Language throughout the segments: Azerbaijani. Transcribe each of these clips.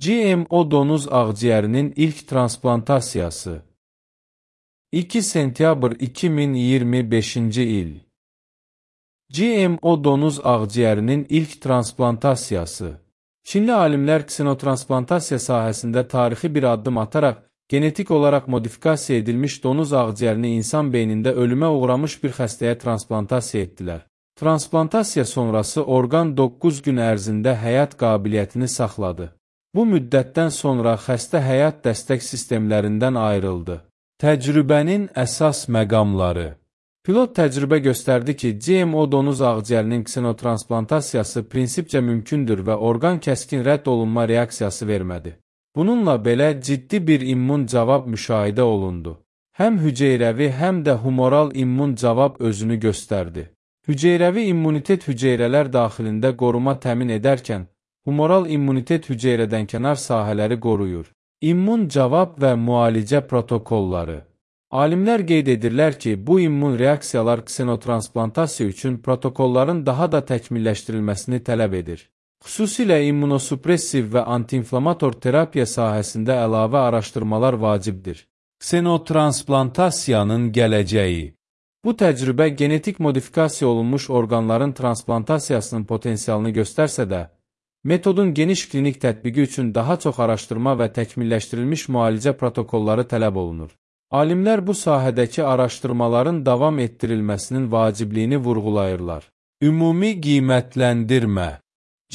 GMO donuz ağciyərinin ilk transplantasiyası 2 sentyabr 2025-ci il GMO donuz ağciyərinin ilk transplantasiyası Çinli alimlər ksenotransplantasiyya sahəsində tarixi bir addım ataraq genetik olaraq modifikasiya edilmiş donuz ağciyərini insan beynində ölümə uğramış bir xəstəyə transplantasiya etdilər. Transplantasiya sonrası orqan 9 gün ərzində həyat qabiliyyətini saxladı. Bu müddətdən sonra xəstə həyat dəstək sistemlərindən ayrıldı. Təcrübənin əsas məqamları Pilot təcrübə göstərdi ki, GMO donuz ağciyərinin ksenotransplantasiyası prinsipcə mümkündür və orqan kəskin rədd olunma reaksiyası vermədi. Bununla belə ciddi bir immun cavab müşahidə olundu. Həm hüceyrəvi, həm də humoral immun cavab özünü göstərdi. Hüceyrəvi immunitet hüceyrələr daxilində qoruma təmin edərkən, humoral immunitet hüceyrədən kənar sahələri qoruyur. İmmun cavab və müalicə protokolları Alimlər qeyd edirlər ki, bu immun reaksiyalar ksenotransplantasiyya üçün protokolların daha da təkmilləşdirilməsini tələb edir. Xüsusilə immunosupressiv və antiinflamator terapiya sahəsində əlavə araşdırmalar vacibdir. Ksenotransplantasiyyanın gələcəyi Bu təcrübə genetik modifikasiya olunmuş orqanların transplantasiyasının potensialını göstərsə də, metodun geniş klinik tətbiqi üçün daha çox araşdırma və təkmilləşdirilmiş müalicə protokolları tələb olunur. Alimlər bu sahədəki araşdırmaların davam etdirilməsinin vacibliyini vurğulayırlar. Ümumi qiymətləndirmə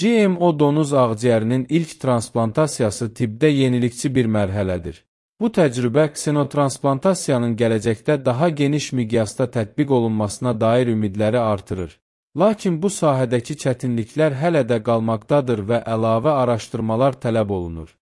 GMO donuz ağciyərinin ilk transplantasiyası tibbdə yenilikçi bir mərhələdir. Bu təcrübə ksenotransplantasiyyanın gələcəkdə daha geniş miqyasda tətbiq olunmasına dair ümidləri artırır. Lakin bu sahədəki çətinliklər hələ də qalmaqdadır və əlavə araşdırmalar tələb olunur.